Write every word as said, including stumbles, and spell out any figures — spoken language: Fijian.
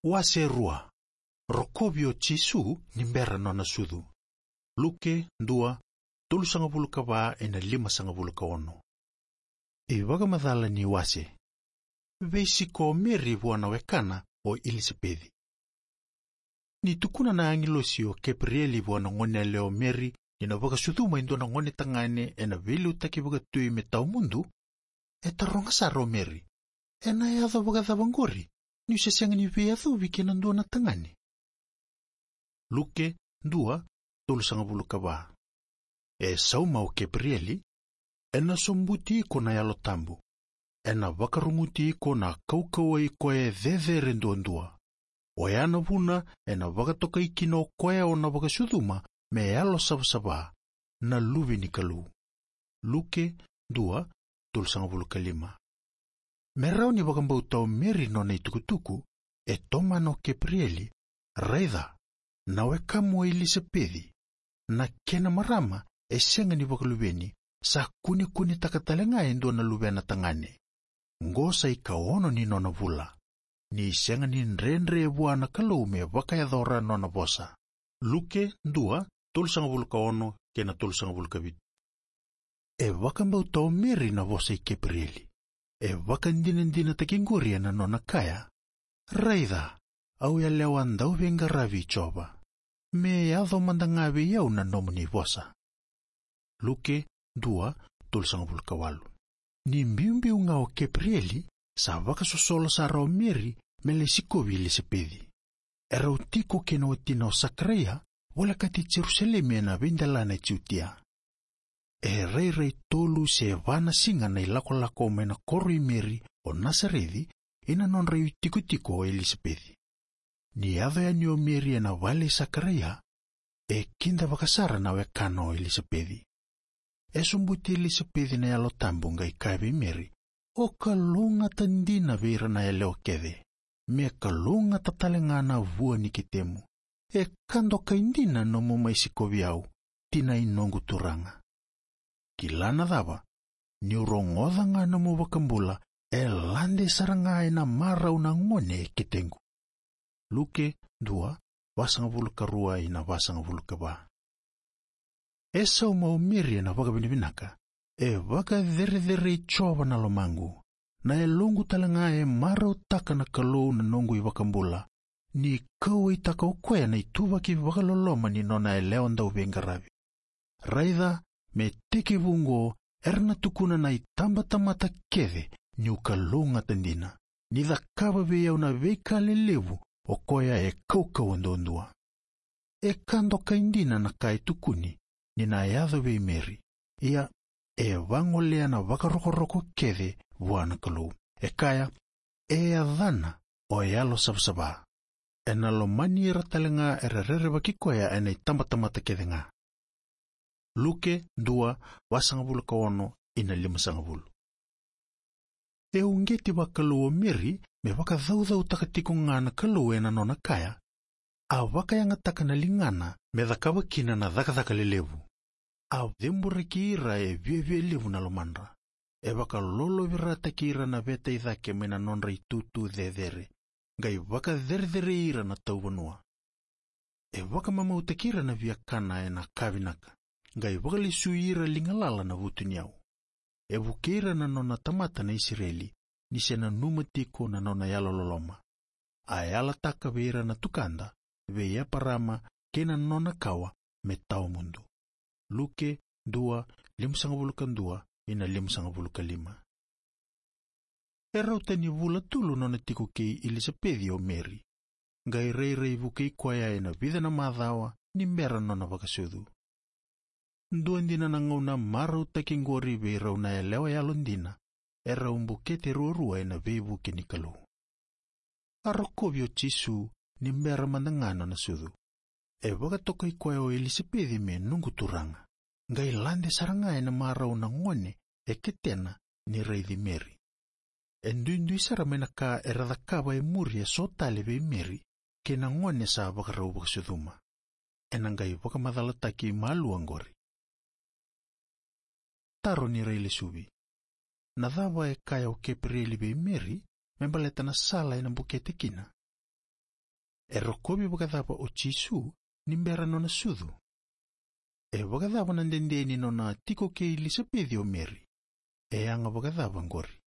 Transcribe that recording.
Wase rua. Rokovi o Jisu ni bera nona sucu. Luke dua, tolusagavulu ka va ina limasagavulu ka ono. Ivakamacala ni wase. Veisiko o Meri vua na wekana o Ilisapeci. Ni tukuna na agilosi o Kepirieli vua na goneyalewa o Meri ni na vakasucuma e dua na gone tagane ena veiliutaki vakatui me tawamudu, e taroga sara o Meri: "Ena yaco vakacava oqori, niu se sega ni veiyacovi kei na dua na tagane?" Luke dua, tolusagavulu ka va. E sauma o Kepirieli: "Ena sobuti iko na Yalo Tabu. Ena vakaruguti iko na kaukauwa i koya e cecere duadua. Oya na vuna ena vakatokai kina o koya o na vakasucuma me Yalo Savasava, na Luve ni Kalou." Luke dua, tolusagavulu ka lima. Me rawa ni vakabauta o Meri nona itukutuku, e tomana o Kepirieli: "Raica, na wekamu o Ilisapeci, na kena marama e sega ni vakaluveni, sa kunekunetaka tale ga e dua na luvena tagane. Qo sa ikaono ni nona vula. Ni sega ni dredre vua na Kalou me vakayacora nona vosa." Luke dua, tolusagavulu ka ono kei na tolusagavulu ka vitu. E vakabauta o Meri na vosa i Kepirieli. E vakadinadinataki qori ena nona kaya: "Raica, au yalewa dauveiqaravi i Jiova. Me yaco mada ga vei au na nomuni vosa." Luke dua, tolusagavulu ka walu. Ni biubiu ga o Kepirieli, sa vakasosolo sara o Meri me lai sikovi Ilisapeci. Erau tiko kei na watina o Sakaraia, volekati Jerusalemi ena veidelana e Jutia. E rairai tolu se va na siga na ilakolako mai na koro i Meri o Nasareci ina nodra itikotiko o Ilisapeci. Ni yaco yani o Meri ena vale i Sakaraia, e kidavaka sara na wekana o Ilisapeci. E sobuti Ilisapeci na Yalo Tabu qai kaya vei Meri: "O kalougata dina vei ira na yalewa kece. Me kalougata tale ga na vua ni ketemu. E ka dokai dina nomu mai sikovi au, tina i noqu Turaga. Kila na cava, niu rogoca ga nomu vakabula, e lade sara ga ena marau na gone e ketequ." Luke dua, vasagavulu ka rua ina vasagavulu ka va. E sauma o Meri ena vakavinavinaka: "E vakacerecerei Jiova na lomaqu. Na yaloqu tale ga e marautaka na Kalou na noqu iVakabula, ni kauwaitaka o koya na ituvaki vakaloloma ni nona yalewa dauveiqaravi. Raica, me tekivu oqo era na tukuna na itabatamata kece niu kalougata dina, ni cakava vei au na veika lelevu o koya e kaukauwa duadua." E ka dokai dina na ka e tukuni ni na yaco vei Meri. Ia, e vagolea na vakarokoroko kece vua na Kalou. E kaya: "E yacana o Yalo Savasava. Ena lomani ira tale ga era rerevaki koya ena itabatamata kece ga." Luke dua, vasagavulu ka ono ina limasagavulu. E uqeti vakalou o Meri me vakacaucautaka tiko ga na Kalou ena nona kaya: "A vakayagataka na ligana me cakava kina na cakacaka lelevu. A ceburaki ira e viavia levu na lomadra. E vakalolovirataki ira na veta i cake mai na nodra itutu cecere, qai vakacerecerei ira na tauvanua. E vakamamautaki ira na viakana ena ka vinaka, qai vakalesui ira ligalala na vutuniyau. E vukei ira na nona tamata na Isireli, ni se nanuma tiko na nona yalololoma. A yalataka vei ira na tukada, vei Eparama kei na nona kawa, me tawamudu." Luke dua, limasagavulu ka dua ina limasagavulu ka lima. E rauta ni vula tolu nona tiko kei Ilisapeci o Meri, qai rairai vukei koya ena vica na macawa ni bera nona vakasucu. Dua dina na gauna marautaki qori vei rau na yalewa yalodina, erau bukete ruarua ena veivuke ni Kalou. A rokovi o Jisu ni bera mada ga nona sucu. E vakatokai koya o Ilisapeci me noqu turaga, qai lade sara ga ena marau na gone e ketena ni raici Meri. E duidui sara mai na ka era cakava e muri eso tale vei Meri kei na gone sa vakarau vakasucuma. Ena qai vakamacalataki malua qori. Taro ni railesuvi. Na cava e kaya o Kepirieli vei Meri me baleta na sala ena bukete kina? E rokovi vakacava o Jisu ni bera nona sucu? E vakacava na dede ni nona tiko kei Ilisapeci o Meri? E yaga vakacava qori?